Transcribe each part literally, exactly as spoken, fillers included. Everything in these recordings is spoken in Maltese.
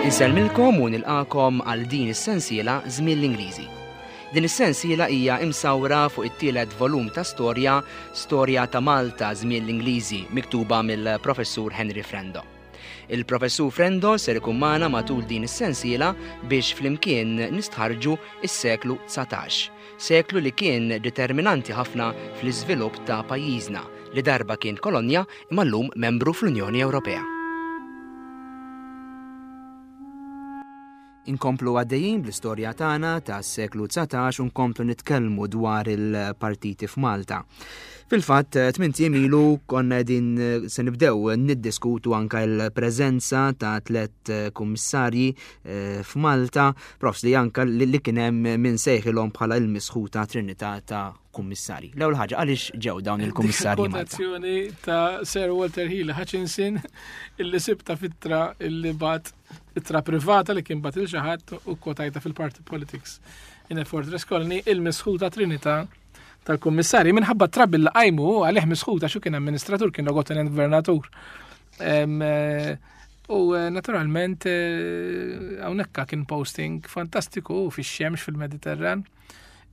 Insellmilkom u nilqakom għal din is-sensiela Żmien l-Ingliżi. Din is-sensiela hija imsawra fuq it-tielet volum ta' storja, Storja ta' Malta Żmien l-Ingliżi, miktuba mill-Professur Henry Frendo. Il-Professur Frendo ser ikun magħna matul din is-sensiela biex flimkien nistħarġu is-seklu dsatax, seklu li kien determinanti ħafna fl-iżvilupp ta' pajjiżna li darba kien kolonja imma llum membru fl-Unjoni Ewropea. Inkomplu għaddejjin bl-istorja tagħna tas-seklu dsatax u nkomplu nitkellmu dwar il-partiti f'Malta. Fil-fatt, tmint ijiem ilu konna qegħdin se nibdew niddiskutu anka l-preżenza ta' tliet kummissarji, eh, f'Malta, profs li anka li, li kien hemm min sejħilhom bħala l-misħuta Trinità ta' kummissarji. L-ewwel ħaġa, għaliex ġew dawn il-kummissarji Malta? Kwotazzjoni ta' Sir Walter Hely Hutchinson illi sibta fittra illi bat ittra privata li kien bat il xi ħadd u kwotajta fil-Party Politics in a Fortress Colony, il-misħuta Trinità tal-kummissarji minħabba trabil li qajmu għalih misħuta xu kien amministratur, kien logotenent gvernatur. Em, eh, u, eh, naturalment, eh, hawnhekk kien posting fantastiku fix-xemx fil-Mediterran.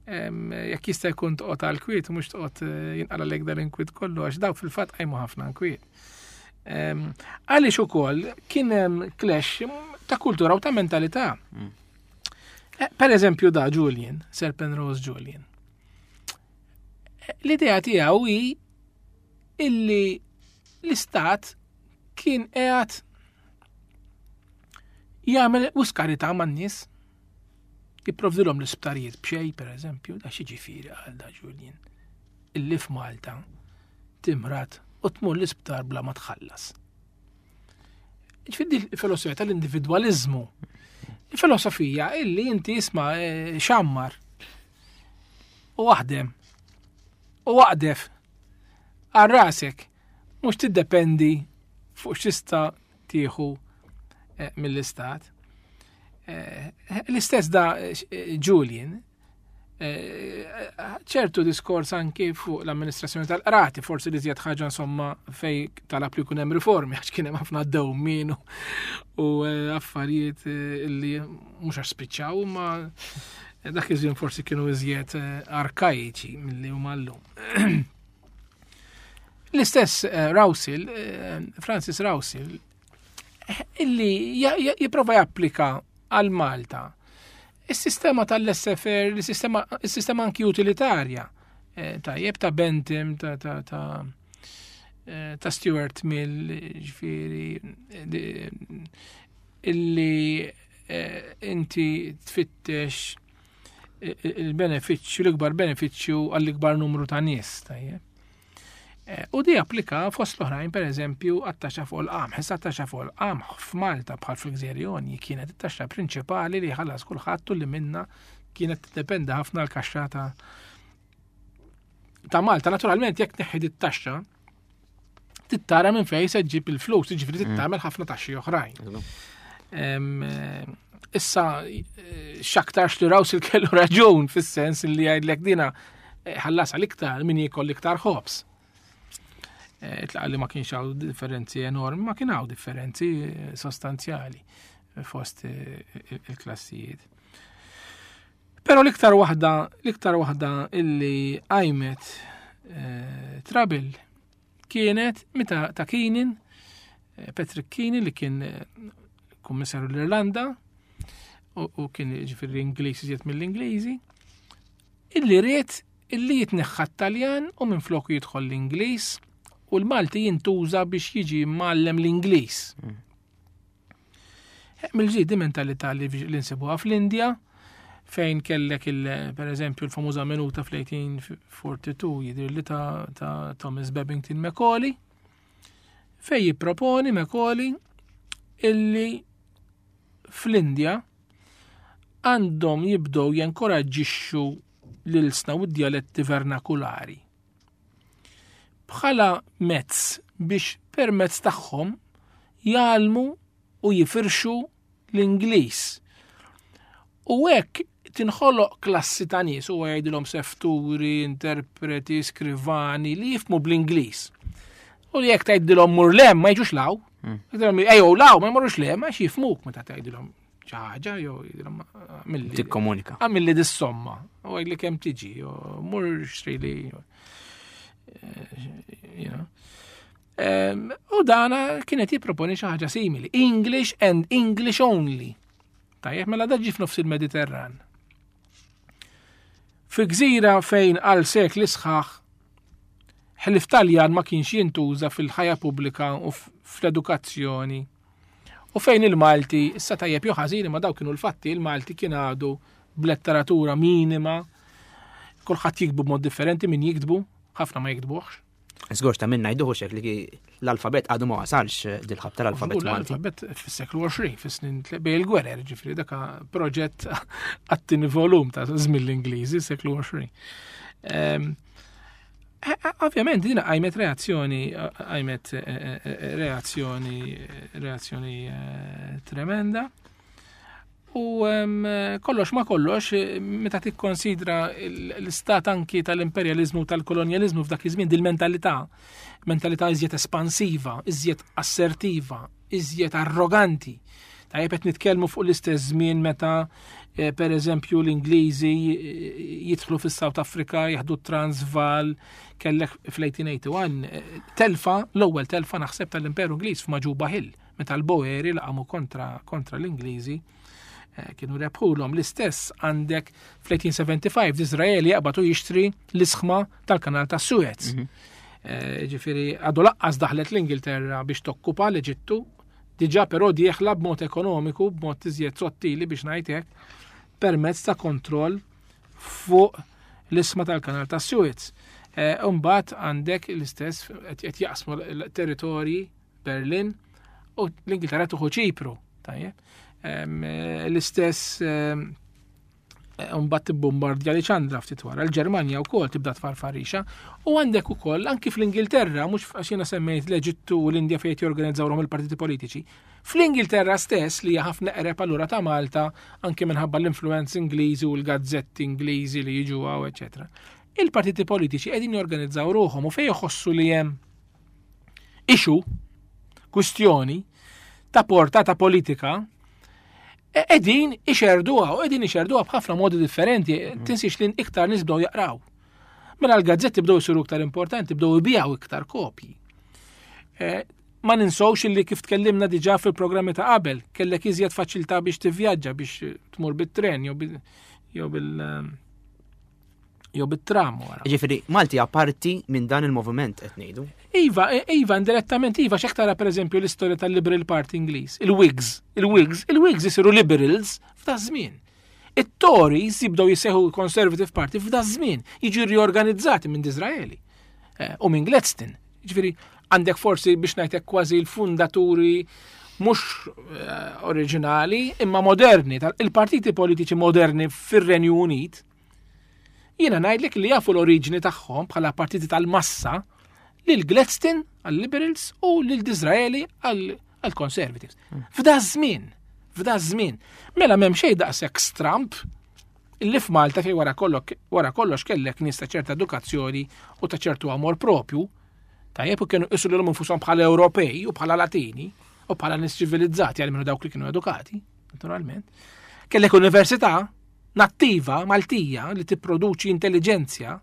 Em, jekk jista' jkun toqgħod għal kwiet u mhux toqgħod, eh, jinqala lek dal-inkwiet kollu, għax dawk fil-fatt qajmu ħafna nkwiet. Em, għaliex ukoll kien hemm clash ta' kultura u ta' mentalità. Mm. Eh, per eżempju da Julian, Sir Penrose Julian. Eh, l-idea tiegħu hi illi l-istat kien qiegħed jagħmel uskarità man-nies, jipprovdilhom l-isptarijiet b'xejn, per eżempju, da xi ġifieri għal da Julian, illi f'Malta timrat u tmur l-isptar bla ma tħallas. Ġifieri il-filosofija tal-individwaliżmu. Il-filosofija illi inti isma', eh, xammar u aħdem u waqdef għal rasek, mhux tiddependi fuq x'tista' tieħu, eh, mill-istat. Eh, l-istess da, eh, Julian, eh, ċertu diskors anki fuq l-amministrazzjoni tal-qrati, forsi li żjed ħaġa insomma fej talab li jkun hemm riformi, għax kien hemm ħafna dewmien u, u, eh, affarijiet, eh, li mhux għax spiċċaw, imma dak iż-żmien forsi kienu iżjed, eh, arkaiċi milli huma llum. L-istess, eh, Rowsell, eh, Francis Rowsell, eh, illi ja-, ja-, jipprova japplika għal Malta is-sistema tal-L S F R, il-sistema, il-sistema anki utilitarja, eh, tajjeb ta' Bentham, ta', ta', ta', eh, ta' Stuart Mill, ġifieri, eh, di-, illi, eh, inti tfittex il-benefiċċju, l-ikbar benefiċċju għall-ikbar numru ta' nies, tajjeb. Eh, u di applika fost l-oħrajn, per eżempju, għat-taxxa fuq il-qamħ. Issa t-taxxa fuq il-qamħ f'Malta bħal fil-Gżejjer Jonji kienet it-taxxa prinċipali li ħallas kulħadd u li minna kienet tiddependi ħafna l-kaxxa ta', ta' Malta. Naturalment, jekk neħħi it-taxxa, tittara minn fejn se ġġib il-flus, jiġifieri Mm. tagħmel ħafna taxxi oħrajn. Eżatt. Em, eh, issa, eh, x'aktarx li Rowsell kellu raġun fis-sens li jgħidlek dina, eh, ħallas għal iktar min jiekol iktar ħobż. Eh, Itlaqa li ma kienx hawn differenzi enormi, ma kien hawn differenzi, eh, sostanzjali fost, eh, il-klassijiet. Però l-iktar waħda, l-iktar waħda illi qajmet, eh, trouble kienet meta ta' Keenan, eh, Patrick Keenan li kien, eh, kummissarju l-Irlanda u, u kien ġifieri Ingliż iżjed mill-Ingliżi, illi ried illi jitneħħa t-Taljan u minfloku jidħol l-Ingliż u l-Malti jintuża biex jiġi mgħallem l-Ingliż. Mm. Eh, mill-ġdid di mentalità li, li nsibuha fl-Indja, fejn kellek il, per eżempju l-famuża minuta fl-eighteen forty-two jidher li ta', ta' Thomas Babington Macaulay, fej jipproponi Macaulay illi fl-Indja għandhom jibdew jenkoraġġixxu l-ilsna u d-dialetti vernakulari bħala mezz biex permezz tagħhom jgħallmu u jifirxu l-Ingliż. U hekk tinħoloq klassi ta' nies, u jgħidilhom sefturi, interpreti, skrivani li jifmu bl-Ingliż. U li jekk tgħidilhom mur 'l hemm ma jiġux 'l hawn. Tgħidilhom ejjew 'l hawn ma jmorrux 'l hemm għax jifhmuk meta tgħidilhom xi ħaġa jew jgħidilhom għamilli Tikkomunika. Għamilli dis-somma. U għidli kemm tiġi, u mur xtrili. You know. Em, U dana kienet jipproponi xi ħaġa simili. English and English only. Tajjeb, mela da ġie f'nofs il-Mediterran. Fi gżira fejn għal sekli sħaħ ħlief Taljan ma kienx jintuża fil-ħajja pubblika u f- fl-edukazzjoni. U fejn il-Malti, issa tajjeb jew ħażin ma daw kienu l-fatti, il-Malti kien għadu b'letteratura minima, kulħadd jiktbu b'mod differenti min jiktbu, ħafna ma jiktbuħx. Żgur ta' minna jduħu xek li l-alfabet għadu ma wasalx dil-ħabta l-alfabet Żgur, Malti. L-alfabet fis-seklu għoxrin, fis-snin bejn il-gwerer, ġifieri daka proġett għat-tieni volum ta' żmien l-Ingliżi, seklu għoxrin. Em, eh, eh, Ovvjament dina qajmet reazzjoni, qajmet eh, eh, reazzjoni, reazzjoni eh, tremenda. U em, kollox ma kollox, eh, meta tikkonsidra l- l-istat anki tal-imperjalizmu u tal-kolonjalizmu f'dak iż-żmien dil-mentalità, mentalità iżjed espansiva, iżjed assertiva, iżjed arroganti. Tajjeb qed nitkellmu fuq l-istess żmien meta eh, per eżempju l-Ingliżi eh, jidħlu fis-South Africa, jaħdu Transvaal, kellek fl-eighteen eighty-one eh, telfa, l-ewwel telfa naħseb tal-Imperu Ingliż f'Majuba Hill, meta l-Boeri laqamu kontra, kontra l-Ingliżi eh, kienu rebħulhom. L-istess għandek fl-eighteen seventy-five Disraeli jaqbad u jixtri l-isħma tal-kanal ta' Suez. Eh, Ġifieri għadu lanqas daħlet l-Ingilterra biex tokkupa l-Eġittu, diġà però dieħla b'mod ekonomiku, b'mod iżjed sottili biex ngħid hekk, permezz ta' kontroll fuq l-isma tal-kanal ta' Suez. Eh, Umbagħad għandek l-istess qed qed jaqsmu l-territorji Berlin u l-Ingilterra tieħu Ċipru. Tajjeb. Em, eh, L-istess em, Mbagħad tibbombardja li ċandra ftit wara. L-Ġermanja wkoll tibda tfarfarixa. U għandek ukoll anki fl-Ingilterra, mhux għax jiena semmejt l-Eġittu u l-Indja fejn jorganizzawhom il-partiti politiċi. Fl-Ingilterra stess li hija ħafna eqreb allura ta' Malta anki minħabba l-influenzi Ingliżi u l-gazzetti Ingliżi li jiġu hawn, eċetera. Il-partiti politiċi qegħdin jorganizzaw ruħhom u fejn jħossu li hemm issue, kwistjoni ta' portata politika, qegħdin ixerduha u qegħdin ixerduha b'ħafna modi differenti, tinsiex li iktar nies bdew jaqraw. Mela l-gazzetti bdew isiru iktar importanti, bdew ibijaw iktar kopji. Eh, Ma ninsowx li kif tkellimna diġà fil-programmi ta' qabel, kellek iżjed faċilità biex tivvjaġġa biex tmur bit-tren jew bil jew bil jew bit-tram wara. Ġifieri, Malti parti minn dan il-moviment qed ngħidu. Iva, iva, indirettament, iva, xek tara per eżempju l-istorja tal-Liberal Party Ingliż, il-Whigs, il-Whigs, il-Whigs jisiru Liberals f'da żmien. It-Tories jibdew jissejħu Conservative Party f'da żmien, jiġu riorganizzati minn Disraeli eh, u minn Gladstone. Ġifieri, għandek forsi biex ngħidlek kważi l-fundaturi mhux eh, oriġinali imma moderni, il-partiti politiċi moderni fir-Renju Unit, jiena ngħidlek li jafu l-oriġini tagħhom bħala partiti tal-massa lil Gladstone għal-Liberals u lil Disraeli għal-Conservatives. F'da żmien, f'da żmien. Mela m'hemm xejn daqshekk stramp illi f'Malta fej wara kollox wara kollox kellek nies ta' ċerta edukazzjoni u ta' ċertu amor propju, tajjeb u kienu jqisu lilhom infushom bħala Ewropej u bħala Latini u bħala nies ċivilizzati għal minnu dawk li kienu edukati, naturalment. Kellek università nattiva Maltija li tipproduċi intelliġenzja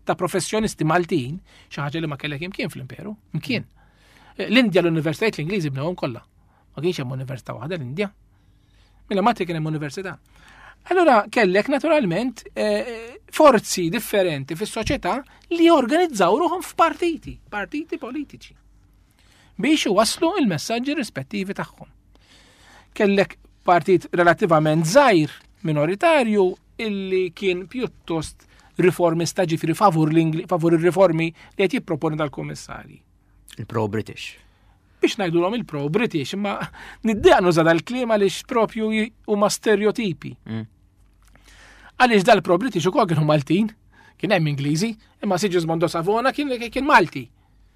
ta' professjonisti Maltin, xi ħaġa li ma kellek imkien fl-imperu, imkien. L-Indja l-universitajiet l-Ingliżi bnewhom kollha. Ma kienx hemm università waħda l-Indja. Mela Malti kien hemm università. Allora kellek naturalment eh, forzi differenti fis-soċjetà li jorganizzaw ruħhom f'partiti, partiti politiċi biex iwasslu il-messaġġi rispettivi tagħhom. Kellek partit relattivament żgħir minoritarju illi kien pjuttost riformista ġifieri favur l-Ingli- favur ir-riformi li qed jipproponi dal-kummissarji. Il-pro-British. Biex ngħidulhom il-pro-British, imma niddejjaq nuża dal-kliem għaliex propju j- huma stereotipi. Mm. Għaliex dal-pro-British ukoll kienu Maltin, kien hemm Ingliżi, imma Sigismondo Savona kien, kien Malti.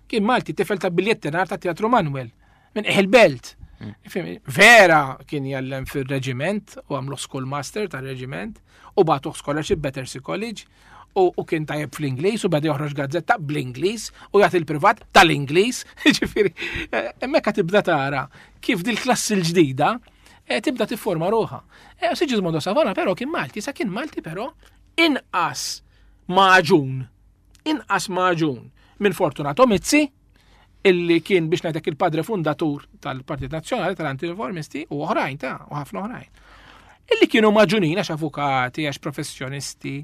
Kien Malti, tifel ta' biljettinar ta' Teatru Manuel, minn il-belt. Fim, vera kien jgħallem fil-reġiment u għamlu schoolmaster ta' reġiment u bagħtuh scholarship Battersea College U kien tajjeb fl-Ingliż u beda joħroġ gazzetta bl-Ingliż u jagħti l-privat tal-Ingliż. Ġifieri, hemmhekk tibda tara kif dil-klassi l-ġdida tibda tifforma ruħha. Sigismondo Savona però kien Malti, sa kien Malti però inqas maġun, inqas maġun minn Fortunato Mizzi, illi kien biex ngħidlek il-padre fundatur tal-Partit Nazzjonali tal-Antireformisti u oħrajn ta' u ħafna oħrajn. Illi kienu maġunin għax avukati, għax professjonisti,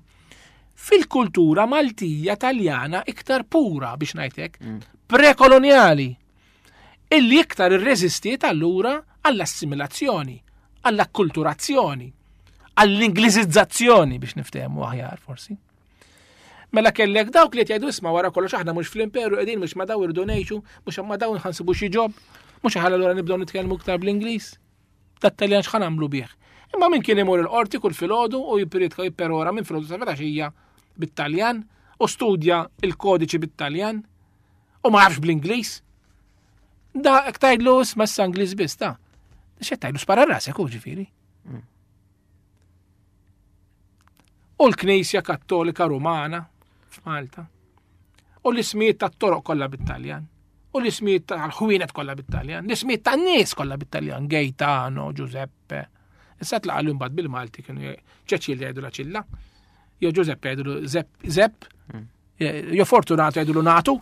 fil-kultura Maltija Taljana iktar pura biex ngħidlek, mm. prekoloniali, illi iktar irreżistiet allura għall-assimilazzjoni, għall-akkulturazzjoni, għall-Ingliżizzazzjoni biex niftehmu aħjar forsi. Mela kellek dawk li jgħidu isma' wara kollox aħna mhux fl-imperu qegħdin mhux ma daw irdu ngħixu, mhux ma daw nħansibu xi ġob, mhux ħalla allura nibdew nitkellmu iktar bl-Ingliż. Dat-Taljan x'ħa nagħmlu bih. Imma min kien imur il-qorti kull filgħodu u jippriedka jipperora minn filgħodu sa filgħaxija bit-Taljan u studja il-kodiċi bit-Taljan u ma jafx bl-Ingliż. Da hekk tgħidlu isma' issa Ingliż biss ta' x'qed tgħidlu spara rasek hu ġifieri. U l-Knisja Kattolika Rumana f'Malta. U l-ismijiet tat-toroq kollha bit-Taljan. U l-ismijiet tal-ħwienet kollha bit-Taljan. L-ismijiet tan-nies kollha bit-Taljan. Gaetano, Giuseppe. Issa tlaqa' l mbagħad bil-Malti kienu Ċeċilja jgħidu la ċilla. Jew Giuseppe jgħidu Zepp, Zepp. Jew Fortunato jgħidu Natu.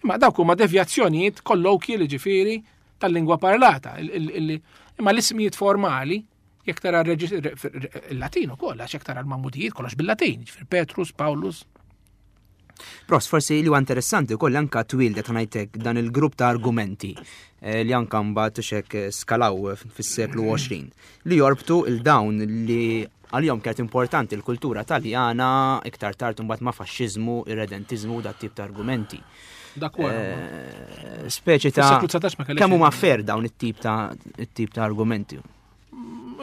Imma dawk huma devjazzjonijiet kollokji li ġifieri tal-lingwa parlata. Imma l-ismijiet formali jekk tara il-Latin ukoll, għax jekk tara l-Mamudijiet kollox bil-Latin, ġifier Petrus, Paulus. Pros, forsi li huwa interessanti wkoll anka twildet ngħidlek dan il-grupp ta' argumenti li anka mbagħad xek skalaw fis-seklu għoxrin li jorbtu il dawn li għalihom kienet importanti l-kultura Taljana iktar tard imbagħad ma' faxxiżmu, irredentiżmu u dat tip ta' argumenti. Dak wara. Speċi ta' Fis-seklu dsatax ma kellekx kemm huma fair dawn it-tip ta' it-tip ta' argumenti.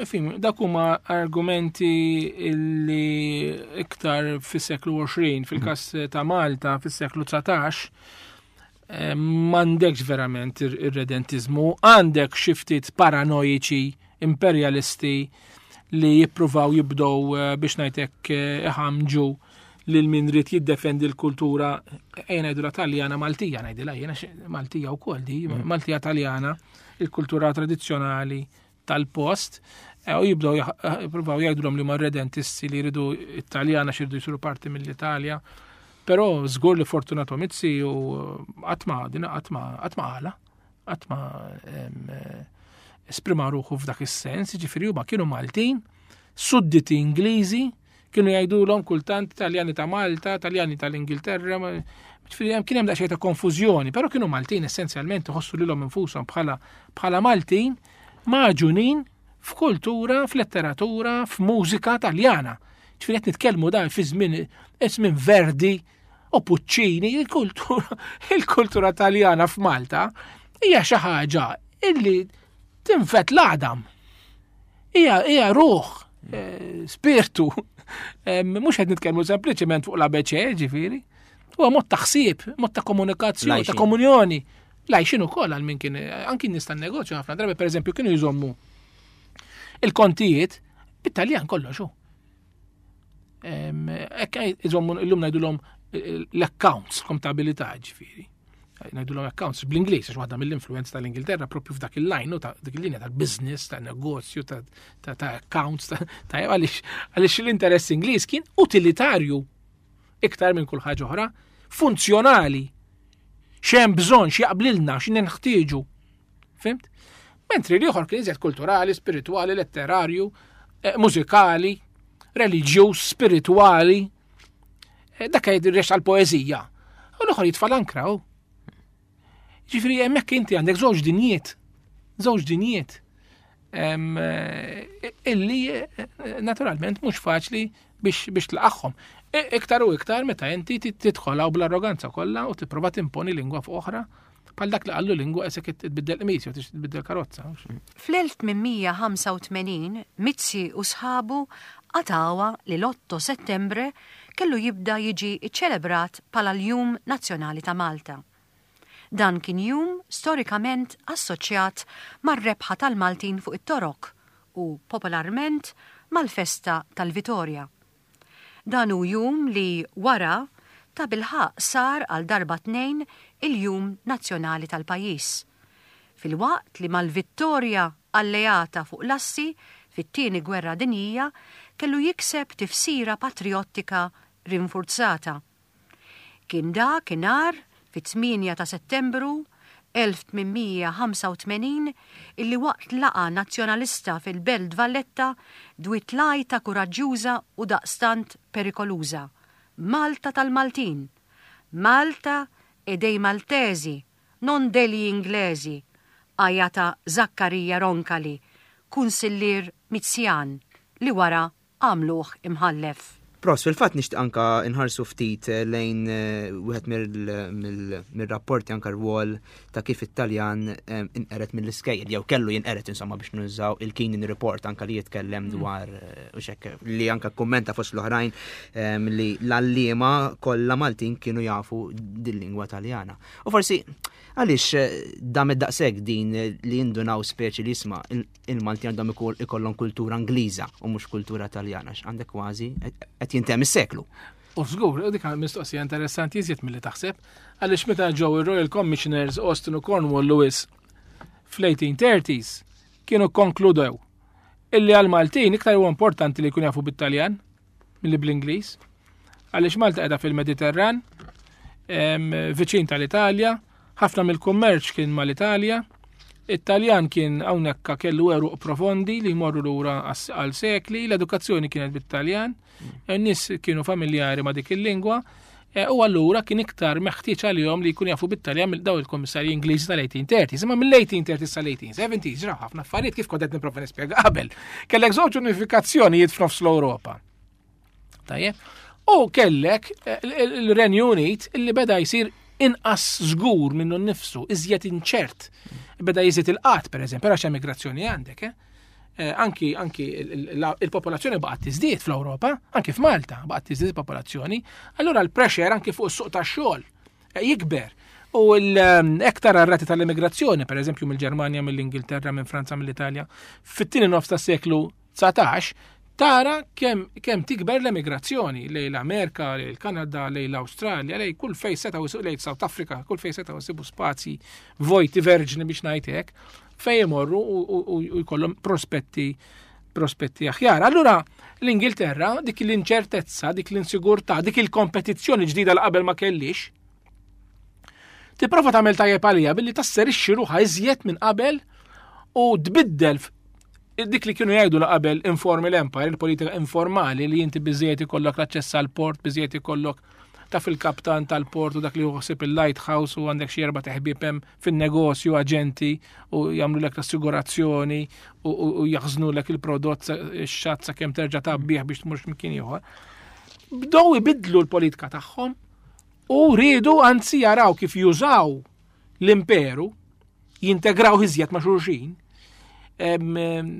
Fim, dak huma argumenti li iktar fis-seklu għoxrin, fil-każ ta' Malta fis-seklu dsatax, m'għandekx verament ir-redentiżmu, għandek xi ftit paranoiċi, imperjalisti li jippruvaw jibdew biex ngħidlek iħamġu lil min rid jiddefendi l-kultura, ejja ngħidulha Taljana Maltija, ngħidilha jiena Maltija wkoll di, Maltija Taljana, il-kultura tradizzjonali tal-post, u jibdew jippruvaw jgħidulhom li huma redentisti li jridu Italjana x'iridu jsiru parti mill-Italja. Però żgur li Fortunato Mizzi u qatt ma din qatt ma qatt ma qala, qatt ma esprima ruħu f'dak is-sens, jiġifieri huma kienu Maltin, sudditi Ingliżi, kienu jgħidulhom kultant Taljani ta' Malta, Taljani tal-Ingilterra, ġifieri hemm kien hemm daqsxejn ta' konfużjoni, però kienu Maltin essenzjalment iħossu lilhom infushom bħala bħala Maltin maġunin f'kultura, f'letteratura, f'mużika Taljana. Ġifieri qed nitkellmu dan fi żmien żmien Verdi u Puccini, il-kultura, il-kultura Taljana f'Malta hija xi ħaġa illi tinfet l-għadam. Hija, hija ruħ, eh, spirtu. Mhux qed nitkellmu sempliċement fuq l-A B C, ġifieri. Huwa mod ta' ħsieb, mod ta' komunikazzjoni, ta' Lajxin. komunjoni. Lajxin ukoll għal min kien, anki nies tan-negozju ħafna drabi, pereżempju, kienu jżommu il-kontijiet bit-Taljan kollox hu. Hekk iżommu illum ngħidulhom l-accounts, kontabilità ġifieri. Ngħidulhom accounts bl-Ingliż għax waħda mill-influenza tal-Ingilterra propju f'dak il-line, ta' dik il-linja tal-business, tan-negozju, ta', ta', ta' accounts, ta', ta' għaliex, għaliex l-interess Ingliż kien utilitarju iktar minn kull ħaġa oħra, funzjonali. X'hemm bżonn, x'jaqblilna, x'inħtieġu. Fimt? Mentri l-ieħor kien iżjed kulturali, spiritwali, letterarju, eh, mużikali, reliġjuż, spiritwali. Eh, dak jgħid ir-rex għall-poeżija. U l-ieħor jitfa' l-ankra hu. Ġifieri hemmhekk inti għandek żewġ dinjiet, żewġ dinjiet, em, eh, illi, eh, naturalment mhux faċli biex, biex tlaqagħhom. E, iktar u iktar meta inti tit-, tidħol hawn bl-arroganza kollha u tipprova timponi lingwa fuq oħra bħal dak li qallu lingwa qisek tbiddel qmis jew tbiddel karozza. Fl-elf tmien ħamsa u tmenin, Mizzi u sħabu qatgħuha li l-otto Settembre kellu jibda jiġi ċċelebrat bħala l-Jum Nazzjonali ta' Malta. Dan kien jum storikament assoċjat mar-rebħa tal-Maltin fuq it-Torok u popolarment mal-festa tal-Vitorja. Dan hu jum li wara tabilħaqq sar għal darba tnejn il-Jum Nazzjonali tal-pajjiż. Filwaqt li mal-vittorja alleata fuq l-assi fit-Tieni Gwerra Dinjija kellu jikseb tifsira patrijottika rinfurzata. Kien dak inhar fit-tmienja ta' Settembru elf tmien mija ħamsa u tmenin illi waqt laqgħa nazzjonalista fil-Belt Valletta dwiet l-għajta kuraġġjuża u daqstant perikoluża, Malta tal-Maltin, Malta e dei Maltesi, non degli Inglesi, għajata Zaccaria Roncalli, kunsillier Mizzjan, li wara għamluh imħallef. Pros, fil-fatt nixtieq anka nħarsu ftit lejn, eh, wieħed mill-, mill-, mill-rapporti anka rwol ta' kif it-Taljan, eh, inqeret mill-iskejjel, jew kellu jinqeret insomma biex nużaw il-Keenan Report anka li jitkellem Mm. dwar, eh, u xek, li anka kommenta fost l-oħrajn, eh, li l-għalliema kollha Maltin kienu jafu dil-lingwa Taljana. U forsi għaliex, eh, dam id-daqshekk din li jindunaw speċi li jisma' il-, il-Maltin għandhom ikoll-, ikollhom kultura Ingliża u mhux kultura Taljana, għandek kważi qed jintemm is-seklu. U żgur, dik mistoqsija interessanti iżjed milli taħseb, għaliex meta ġew ir-Royal Commissioners Austin u Cornwall Lewis fl-eighteen thirties kienu konkludew illi għal-Maltin iktar huwa importanti li jkun jafu bit-Taljan milli bl-Ingliż. Għaliex Malta qiegħda fil-Mediterran, em, viċin tal-Italja, ħafna mill-kummerċ kien mal-Italja, it-Taljan kien hawnhekk kellu għeruq profondi li jmorru lura għas-, għal sekli, l-edukazzjoni kienet bit-Taljan, n-nies kienu familjari ma' dik il-lingwa, e, u allura kien iktar meħtieġ għalihom li jkunu jafu bit-Taljan mill daw il-kommissarji Ingliżi tal-eighteen thirties. Imma mill-eighteen thirties sal-eighteen seventies ġraw ħafna affarijiet kif kont qed nipprova nispjega qabel. Kellek żewġ unifikazzjonijiet f'nofs l-Ewropa. Tajjeb? U kellek, eh, il-, il-, il-Renju Unit illi beda jsir inqas żgur minnu nnifsu, iżjed inċert. Beda jiżid il-qat, per eżempju, għax emigrazzjoni għandek, eh? Eh, anki, anki il-, il-, il-, il-popolazzjoni baqgħet tiżdied fl-Ewropa, anki f'Malta baqgħet tiżdied il-popolazzjoni, allura l-pressure anki fuq is-suq tax-xogħol, eh, jikber. U l-, ektar ar-rati tal-immigrazzjoni, per eżempju mill-Ġermanja, mill-Ingilterra, minn Franza, mill-Italja, fit-tieni nofs tas-seklu dsatax, tara kemm, kemm tikber l-emigrazzjoni lejn l-Amerika, lejn il-Kanada, lejn l-Awstralja, lejn kull fejn setgħu jsibu, lejn South Africa, kull fejn setgħu jsibu spazji vojti verġni biex ngħid hekk, fejn imorru u, u, u, u jkollhom prospetti, prospetti aħjar. Allura l-Ingilterra, dik l-inċertezza, dik l-insigurtà, dik il-kompetizzjoni ġdida li qabel ma kellix, tipprova tagħmel tajjeb għalija billi tasserixxi ruħha iżjed minn qabel u tbiddel f-, dik li kienu jgħidu la qabel informal empire, il-politika informali li inti biżejjed ikollok l-aċċess għal port, biżejjed ikollok taf il-kaptan tal-port u dak li joħsib il-lighthouse u għandek xi erba' teħbieb hemm fin-negozju aġenti u jagħmlu lek l-assigurazzjoni u, u, u jaħżnu lek il-prodott sa-, ix-xatt sakemm terġa' tgħabbih biex tmur x'imkien ieħor. Bdew ibidlu l-politika tagħhom u riedu anzi jaraw kif jużaw l-imperu, jintegraw iżjed ma' xulxin, em, em,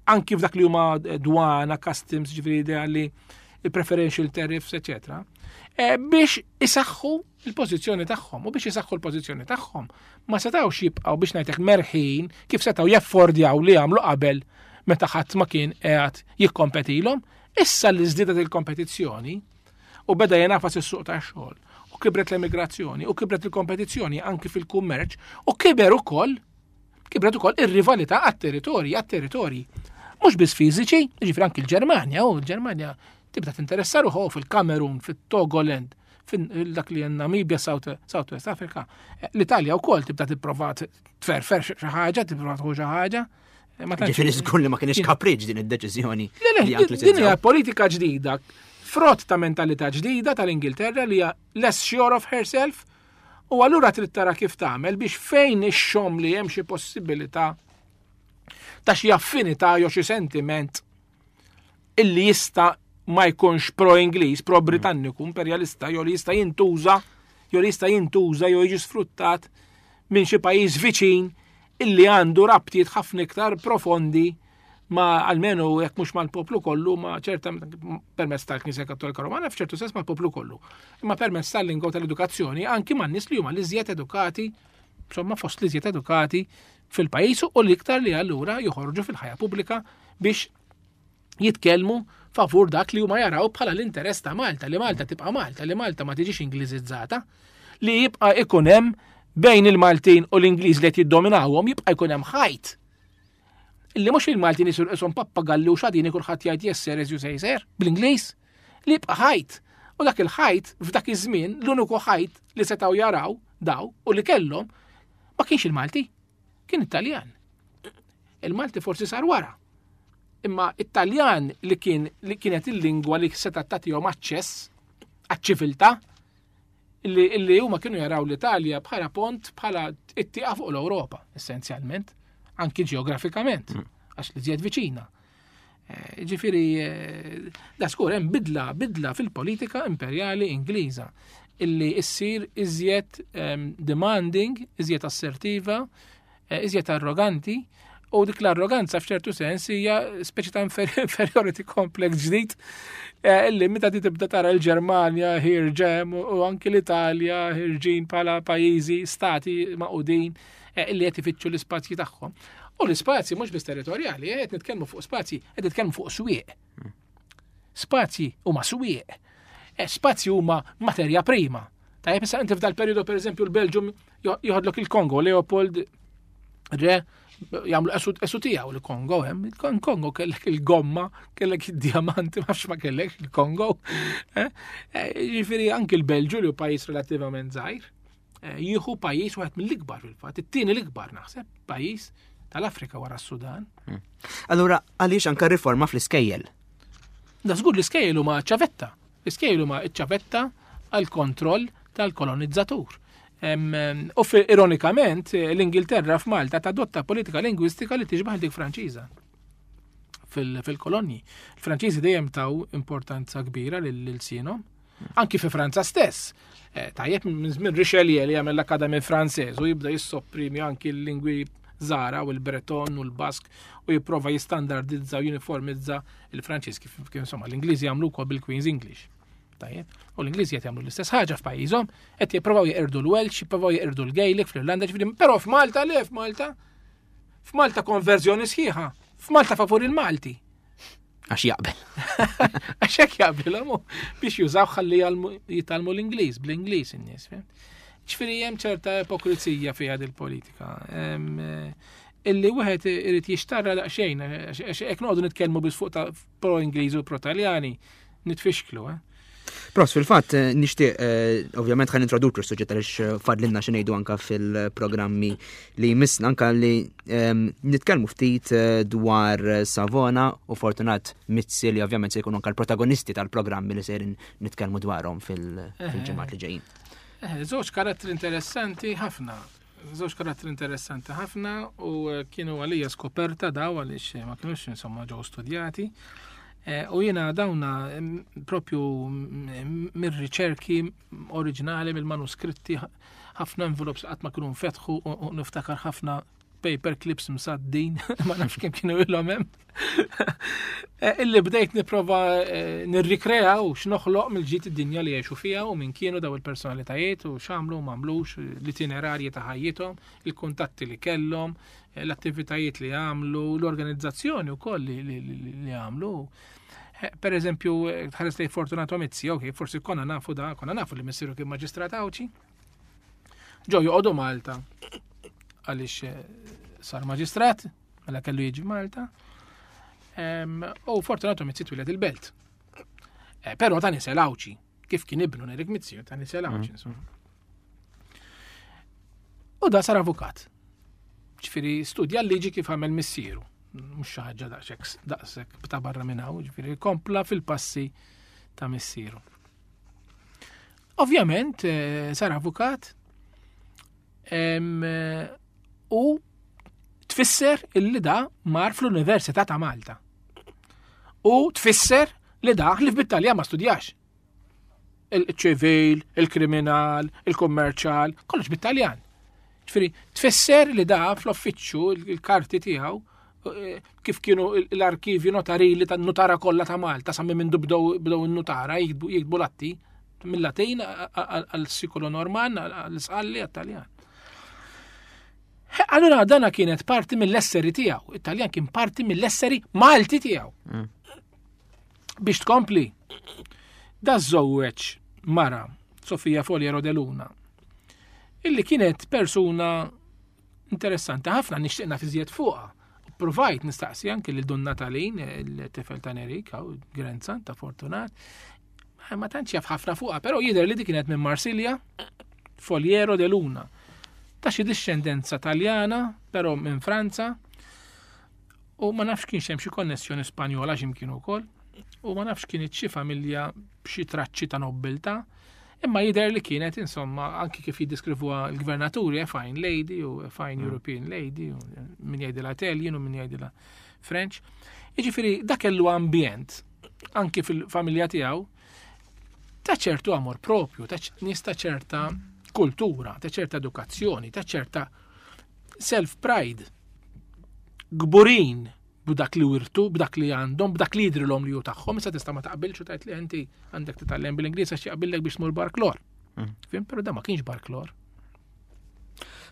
anki f'dak li huma dwana, customs, ġifieri idea li il-preferential tariffs, eccetera, eh, biex isaħħu il-pożizzjoni tagħhom. U biex isaħħu l-pożizzjoni tagħhom ma setgħux jibqgħu biex ngħidlek merħin kif setgħu jaffordjaw li jagħmlu qabel meta ħadd ma kien qiegħed jikkompetilhom. Issa li żdiedet il-kompetizzjoni u beda jenafas is-suq tax-xogħol u kibret l-emigrazzjoni u kibret il-kompetizzjoni anki fil-kummerċ u kiber ukoll kibret ukoll ir-rivalità għat-territorji, għat-territorji. Mhux biss fiżiċi, jiġifieri anki l-Ġermanja, u l-Ġermanja tibda tinteressa ruħu fil-Kamerun, fit-Togoland, fin dak li Namibia, South, South West Africa. Eh, L-Italja wkoll tibda tipprova tferfer xi ħaġa, tipprova tħu xi ħaġa. Eh, ma tantx Ġifieri żgur li ma kienx kapriġ din id-deċiżjoni Le, le, li anki din hija politika ġdida, frott ta' mentalità ġdida tal-Ingilterra li hija less sure of herself, u allura trid tara kif tagħmel biex fejn ixxomm li hemm xi possibilità ta' xi affinità jew xi sentiment illi jista' ma jkunx pro-Ingliż, pro-Britanniku, imperjalista, jew li jista' jintuża, jew li jista' jintuża jew jiġi sfruttat minn xi pajjiż viċin illi għandu rabtiet ħafna iktar profondi ma almenu jekk mhux mal-poplu kollu, ma ċerta permezz tal-Knisja Kattolika Romana, f'ċertu sens mal-poplu kollu. Imma permezz tal-lingwa tal-edukazzjoni anki man nies li huma l-iżjed edukati, insomma fost l-iżjed edukati fil-pajjiż u l-iktar li allura joħorġu fil-ħajja pubblika biex Jitkellmu favur dak li huma jaraw bħala l-interess ta' Malta, li Malta tibqa' Malta, li Malta ma tiġix Ingliżizzata, li jibqa' ikun hemm bejn il-Maltin u l-Ingliż li qed jiddominawhom jibqa' jkun hemm ħajt. Illi mhux il-Maltin isir qishom pappagalli u xadini, kulħadd jgħid "Yes sir, as you say sir" bl-Ingliż, li jibqa' ħajt. U dak il-ħajt f'dak iż-żmien, l-uniku ħajt li setgħu jaraw daw u li kellhom ma kienx il-Malti, kien Italjan. Il-Malti forsi sar wara. Imma Italjan li kien li kienet il-lingwa li setgħet tagħtihom aċċess għaċ-ċiviltà illi, illi huma kienu jaraw l-Italja bħala pont, bħala it-tieqa fuq l-Ewropa, essenzjalment, anki ġeografikament, għax li żjed viċina. Eh, Ġifieri, eh, da skur hemm bidla, bidla fil-politika imperjali Ingliża illi issir iżjed em, demanding, iżjed assertiva, eh, iżjed arroganti, u dik l-arroganza f'ċertu sens hija speċi ta' infer- inferiority complex ġdid eh, illi meta ti tibda tara l-Ġermanja ħierġa u u anki l-Italja ħerġin bħala pajjiżi, stati magħqudin eh, illi qed ifittxu l-ispazji tagħhom. U l-ispazji mhux biss territorjali, eh, qed nitkellmu fuq spazji, qed nitkellmu fuq swieq. Spazji huma swieq. Eh, Spazji huma materja prima. Tajjeb, issa inti f'dal periodu, per eżempju, l-Belġium joħodlok il-Kongo, Leopold re jagħmlu esu esu tiegħu l-Kongo hemm. Il-Kongo kellek il-gomma, kellek id-diamanti, ma nafx ma kellek il-Kongo. Eh, eh, Ġifieri anki l-Belġu, li hu pajjiż relattivament żgħir, eh, jieħu pajjiż wieħed mill-ikbar fil-fatt, it-tieni l-ikbar naħseb pajjiż tal-Afrika wara s-Sudan. Allura, għaliex anka riforma fl-iskejjel? Da żgur, l-iskejjel huma ċavetta. L-iskejjel huma ċavetta għal kontroll tal-kolonizzatur. Em, em, U fi- ironikament, eh, l-Ingilterra f'Malta tadotta politika lingwistika li tiġbaħ dik Franċiża fil- fil-kolonji. Il-Franċiżi dejjem taw importanza kbira lil-lsienhom. Anki fi Franza stess. Eh, Tajjeb, minn żmien Richelieu li jagħmel l-Académie Française u jibda jissopprimi anki l-lingwi żgħar u l-Breton u l-Bask u jipprova jistandardizza u uniformizza il-Franċiż kif kif insomma l-Ingliżi jagħmlu wkoll bil-Queen's English. Tajjeb. U l-Ingliżi qed jagħmlu l-istess ħaġa f'pajjiżhom, qed jippruvaw jeqirdu l-Welsh, jippruvaw jeqirdu l-Gaelic fl-Irlanda, ġifieri, però f'Malta le, f'Malta. F'Malta konverżjoni sħiħa. F'Malta favur il-Malti. Għax jaqbel. Għax hekk jaqblilhom biex jużaw ħalli jgħallmu- jitgħallmu l-Ingliż, bl-Ingliż in-nies. Fhimt? Ġifieri hemm ċerta ipokrizija fiha dil-politika. Em, eh, Illi wieħed irid jixtarra daqsxejn, għax għax hekk noqogħdu nitkellmu biss fuq ta' pro-Ingliż u pro-Taljani, nitfixklu, eh? Pros, fil-fatt, eh, nixtieq, eh, ovvjament ħa nintroduċu s-suġġett għaliex eh, fadlilna xi ngħidu anka fil-programmi li jmissna, anka li ehm, nitkellmu ftit eh, dwar Savona u Fortunat Mizzi, li ovvjament se jkunu anka l-protagonisti tal-programmi li sejrin nitkellmu dwarhom fil- fil-ġimgħat li ġejjin. Eh, Żewġ karattri interessanti ħafna. Żewġ karattri interessanti ħafna u eh, kienu għalija skoperta daw, għaliex eh, ma kienux insomma ġew studjati. Eh, U jiena dawna mm, propju mm, mir-riċerki oriġinali, mill-manuskritti, ħafna envelopes qatt ma kienu nfetħu u u niftakar ħafna paper clips msaddin, ma nafx kemm kienu ilhom hemm. Eh, Illi bdejt nipprova eh, nirrikrea u x'noħloq mill-ġid id-dinja li jgħixu fiha u min kienu daw il-personalitajiet u x'għamlu u m'għamlux, l-itinerarji ta' ħajjithom, il-kuntatti li kellhom, eh, l-attivitajiet li għamlu, l-organizzazzjoni wkoll li, li, li, li għamlu. Eh, Per eżempju, eh, tħares lej Fortunato Mizzi, ok, forsi konna nafu da, konna nafu li missieru kien maġistrat Għawdxi. Ġo joqogħdu Malta għaliex eh, sar maġistrat, mela kellu jiġi Malta. Em, U Fortunato Mizzi twieled il-Belt. Eh, Però ta' nisel Għawdxi, kif kien ibnu Nerik Mizzi, ta' nisel Għawdxi, insomma. U da sar avukat. Ġifieri studja l-liġi kif għamel missieru. Mhux xi ħaġa daqshekk daqshekk ta' barra minn hawn, ġifieri kompla fil-passi ta' missieru. Ovvjament eh, sar avukat em, eh, u tfisser illi da mar fl-Università ta' Malta. U tfisser li da li f'Italja ma studjax. Il-ċivil, il-kriminal, il-kummerċal, kollox bit-Taljan. Ġifieri, tfisser li da fl-uffiċċju il-karti tiegħu eh, kif kienu l-arkivju notarili tan nutara kollha ta' Malta sa minn bdew bdew in-nutara jiktbu jiktbu l-atti mill-Latin għal-Sikolo Norman, għal-Sqalli, għal-Taljan. Allura dana kienet parti mill-esseri tiegħu. It-Taljan kien parti mill-esseri Malti tiegħu. Biex tkompli, da żżewweġ mara Sofia Foliero de Luna, illi kienet persuna interessanti ħafna, nixtieq naf iżjed fuqha. Provajt nistaqsi anki lil Dun Natalin, il-tifel ta' Nerika u grandson ta' Fortunat. Ma tantx jaf ħafna fuqha, però jidher li di kienet minn Marsilja, Foliero de Luna. Ta' xi discendenza Taljana, però minn Franza, u ma nafx kienx hemm xi konnessjoni Spanjola x'imkien ukoll, u ma nafx kienet xi familja b'xi traċċi ta' nobiltà, imma jidher li kienet, insomma, anki kif jiddiskrivuha l-gvernaturi, a fine lady u a fine mm. European lady, u min jgħidilha Italian u min jgħidilha French. Jiġifieri dak kellu ambjent anki fil-familja tiegħu ta' ċertu amor propju, ta' nies ta' ċerta kultura, ta' ċerta edukazzjoni, ta' ċerta self-pride. Kburin b'dak li wirtu, b'dak li għandhom, b'dak li jidrilhom li hu tagħhom, issa tista' ma taqbilx u tgħid li inti għandek titgħallem bil-Ingliż għax jaqbillek biex tmur barklor. Mm. Fhimt, però da ma kienx barklor.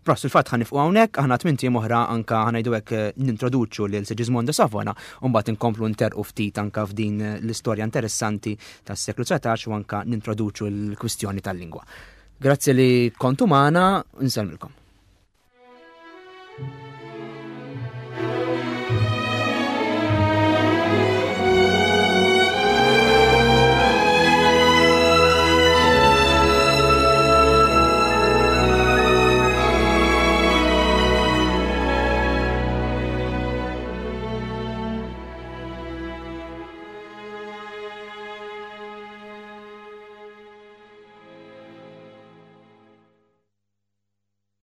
Pros, il-fatt ħa nieqfu hawnhekk, aħna tmint ijiem oħra anka ħa ngħidu hekk eh, nintroduċu lil Sigismondo Savona u mbagħad inkomplu nterqu ftit anka f'din l-istorja interessanti tas-seklu dsatax u anka nintroduċu l-kwistjoni tal-lingwa. Grazzi li kontu magħna, nsellmilkom. Thank you.